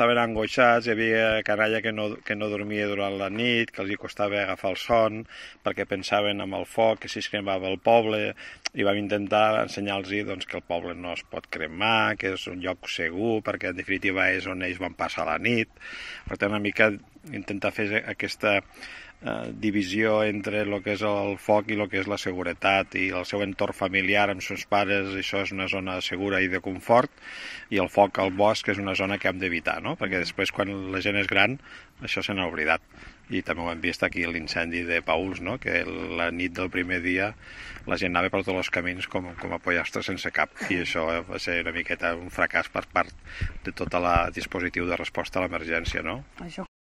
estaven angoixats, hi havia canalla que no dormia durant la nit, que els hi costava agafar el son, perquè pensaven en el foc, que si es cremava el poble, i vam intentar ensenyar-los doncs, que el poble no es pot cremar, que és un lloc segur, perquè en definitiva és on ells van passar la nit. Per tant, una mica intentar fer aquesta divisió entre el que és el foc i el que és la seguretat, i el seu entorn familiar amb seus pares, això és una zona segura i de confort, i el foc al bosc és una zona que hem d'evitar, no? Perquè després quan la gent és gran això se n'ha oblidat. I també ho hem vist aquí l'incendi de Pauls, no? Que la nit del primer dia la gent anava per tots els camins com a pollastres sense cap, i això va ser una miqueta un fracàs per part de tot el dispositiu de resposta a l'emergència, no? Això